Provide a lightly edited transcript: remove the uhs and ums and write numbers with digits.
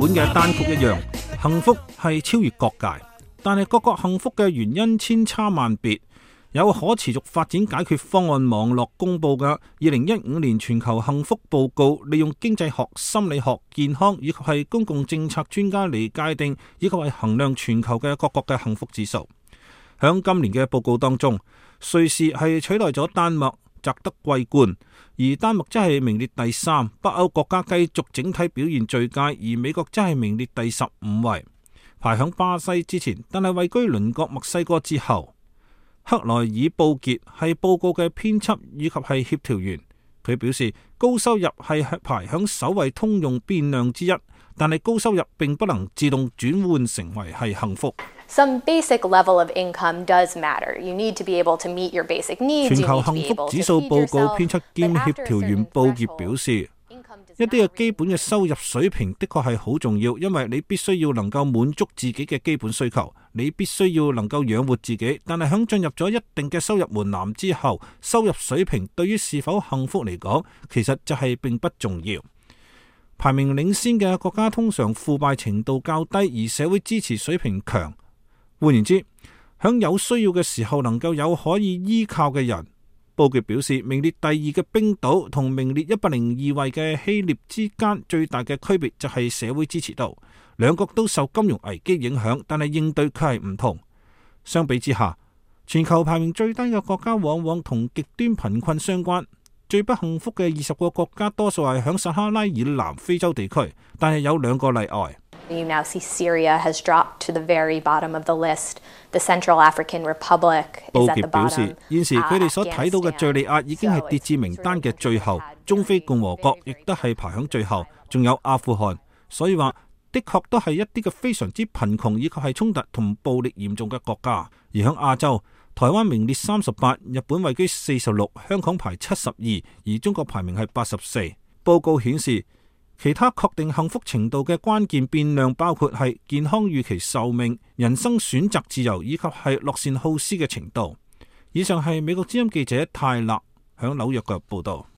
本嘅單曲一樣，幸福係超越各界，但係各個幸福嘅原因千差萬別。有可持續發展解決方案網絡公佈嘅2015年全球幸福報告，利用經濟學、心理學、健康以及係公共政策專家嚟界定以及係衡量全球嘅各國嘅幸福指數。響今年嘅報告當中，瑞士係取代咗丹麥，摘得桂冠，而丹麥則係名列第3。北歐國家繼續整體表現最佳，而美國則係名列第15位，排響巴西之前，但係位居鄰國墨西哥之後。克萊爾布傑係報告嘅編輯以及係協調員，佢表示高收入係排響首位通用變量之一，但係高收入並不能自動轉換成為係幸福。Some basic level of income does matter. You need to be able to meet your basic needs. 全球幸福指數報告編輯兼協調員布傑表示，一啲嘅基本嘅收入水平的確係好重要，因為你必須要能夠滿足自己嘅基本需求，你必須要能夠養活自己。但係響進入咗一定嘅收入門檻之後，收入水平對於是否幸福嚟講，其實就係並不重要。排名領先嘅國家通常腐敗程度較低，而社會支持水平強。換言之，響有需要嘅時候能夠有可以依靠嘅人。報告表示，名列第2嘅冰島同名列102位嘅希臘之間最大嘅區別就係社會支持度，兩國都受金融危機影響，但係應對卻係唔同。相比之下，全球排名最低嘅國家往往同極端貧困相關。最不幸福嘅20個國家多數係響撒哈拉以南非洲地區，但係有2個例外。You now see Syria has dropped to the very bottom of the list. The Central African Republic is at the bottom. 報傑表示，現時佢哋所睇到嘅敘利亞已經係跌至名單嘅最後，中非共和國亦都係排響最後，仲有阿富汗。所以話，的確都係一啲嘅非常之貧窮以及係衝突同暴力嚴重嘅國家。而響亞洲，台灣名列38，日本位居46，香港排72，而中國排名係84。報告顯示，其他確定幸福程度嘅關鍵變量包括係健康預期壽命、人生選擇自由以及係樂善好施嘅程度。以上係美國之音記者泰勒響紐約嘅報道。